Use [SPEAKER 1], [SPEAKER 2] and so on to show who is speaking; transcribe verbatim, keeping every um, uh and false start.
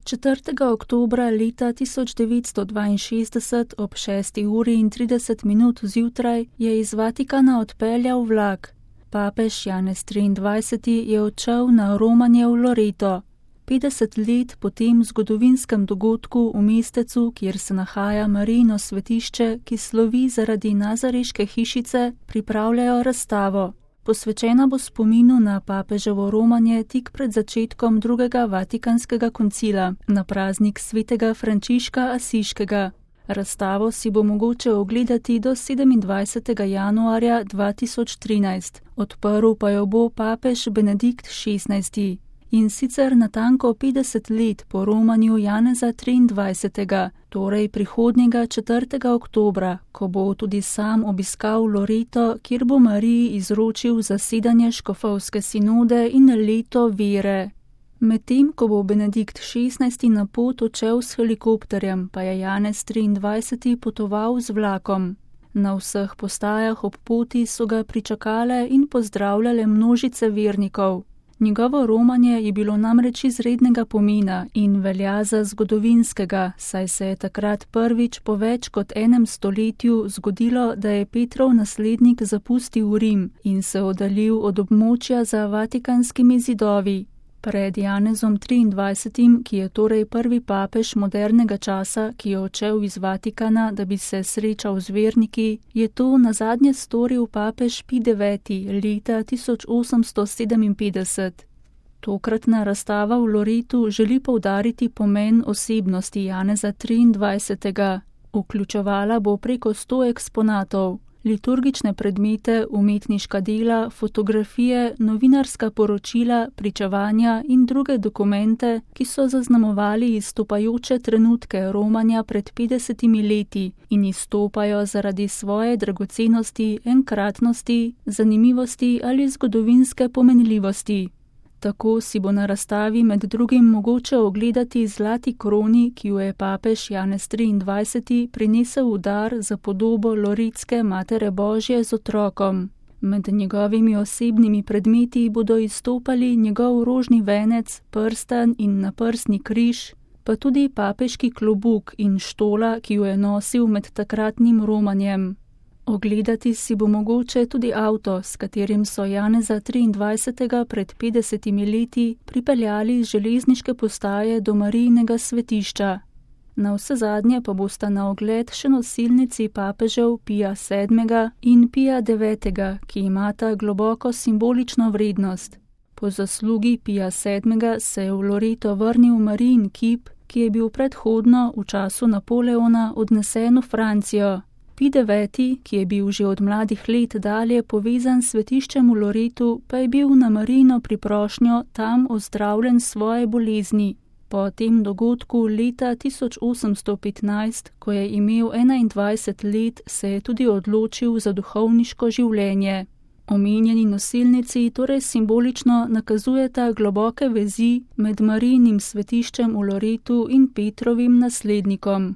[SPEAKER 1] četrtega oktobra leta tisoč devetsto dvainšestdeset ob šesti uri in trideset minut zjutraj je iz Vatikana odpeljal vlak. Papež Janez triindvajseti je odšel na romanje v Loreto. petdeset let po tem zgodovinskem dogodku v mestecu, kjer se nahaja Marijino svetišče, ki slovi zaradi nazareške hišice, pripravljajo razstavo. Posvečena bo spominu na papeževo romanje tik pred začetkom drugega vatikanskega koncila, na praznik svetega Frančiška Asiškega. Razstavo si bo mogoče ogledati do sedemindvajsetega januarja dva tisoč trinajst, odprl pa jo bo papež Benedikt šestnajsti. In sicer natanko petdeset let po romanju Janeza triindvajsetega, torej prihodnjega četrtega oktobra, ko bo tudi sam obiskal Loreto, kjer bo Mariji izročil zasedanje škofovske sinode in leto vere. Medtem, ko bo Benedikt šestnajsti na pot odšel s helikopterjem, pa je Janez triindvajseti potoval z vlakom. Na vseh postajah ob poti so ga pričakale in pozdravljale množice vernikov. Njegovo romanje je bilo namreč izrednega pomena in velja za zgodovinskega, saj se je takrat prvič po več kot enem stoletju zgodilo, da je Petrov naslednik zapustil Rim in se oddaljil od območja za vatikanskimi zidovi. Pred Janezom triindvajsetim, ki je torej prvi papež modernega časa, ki je odšel iz Vatikana, da bi se srečal z verniki, je to nazadnje storil papež Pij deveti leta tisoč osemsto sedeminpetdeset. Tokratna razstava v Loretu želi poudariti pomen osebnosti Janeza triindvajsetega. Vključevala bo preko sto eksponatov. Liturgične predmete, umetniška dela, fotografije, novinarska poročila, pričevanja in druge dokumente, ki so zaznamovali izstopajoče trenutke romanja pred petdesetimi leti in izstopajo zaradi svoje dragocenosti, enkratnosti, zanimivosti ali zgodovinske pomenljivosti. Tako si bo na razstavi med drugim mogoče ogledati zlati kroni, ki jo je papež Janez triindvajseti prinesel v dar za podobo loretske Matere Božje z otrokom. Med njegovimi osebnimi predmeti bodo izstopali njegov rožni venec, prstan in naprstni križ, pa tudi papeški klobuk in štola, ki jo je nosil med takratnim romanjem. Ogledati si bo mogoče tudi avto, s katerim so Janeza triindvajsetega pred petdesetimi leti pripeljali z železniške postaje do Marijinega svetišča. Navsezadnje pa bosta na ogled še nosilnici papežev Pija sedmega in Pija devetega, ki imata globoko simbolično vrednost. Po zaslugi Pija sedmega se je v Loreto vrnil Marijin kip, ki je bil predhodno v času Napoleona odnesen v Francijo. Pij deveti, ki je bil že od mladih let dalje povezan s svetiščem v Loretu, pa je bil na Marijino priprošnjo tam ozdravljen svoje bolezni. Po tem dogodku leta tisoč osemsto petnajst, ko je imel enaindvajset let, se je tudi odločil za duhovniško življenje. Omenjeni nosilnici torej simbolično nakazujeta globoke vezi med Marijinim svetiščem v Loretu in Petrovim naslednikom.